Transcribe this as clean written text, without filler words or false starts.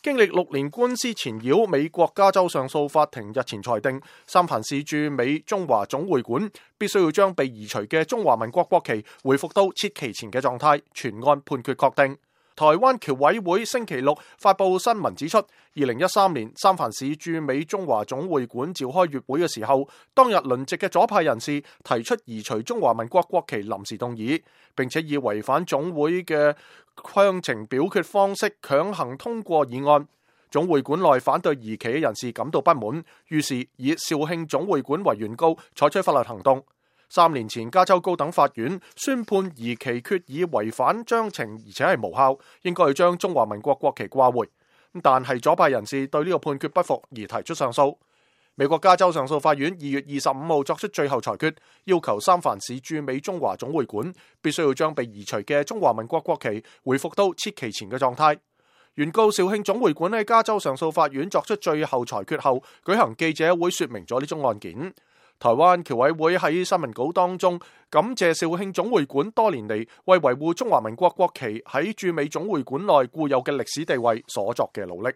經歷6年官司纏繞，美國加州上訴法庭日前裁定，三藩市駐美中華總會館必須要將被移除嘅中華民國國旗恢復到設期前嘅狀態，全案判決確定。台灣僑委會星期六發布新聞指出，2013年三藩市駐美中華總會館召開月會嘅時候，當日輪值嘅左派人士提出移除中華民國國旗臨時動議，並且以違反總會嘅詳情表決方式強行通過議案。總會館內反對移旗嘅人士感到不滿，於是以肇慶總會館為原告採取法律行動。3年前，加州高等法院宣判移旗決議違反章程，而且係無效，應該要將中華民國國旗掛回。但係左派人士對呢個判決不服而提出上訴。美國加州上訴法院2月25號作出最後裁決，要求三藩市駐美中華總會館必須要將被移除嘅中華民國國旗恢復到設期前嘅狀態。原告肇慶總會館喺加州上訴法院作出最後裁決後，舉行記者會說明咗呢宗案件。台灣僑委會喺新聞稿當中感謝肇慶總會館多年嚟為維護中華民國國旗喺駐美總會館內固有嘅歷史地位所作嘅努力。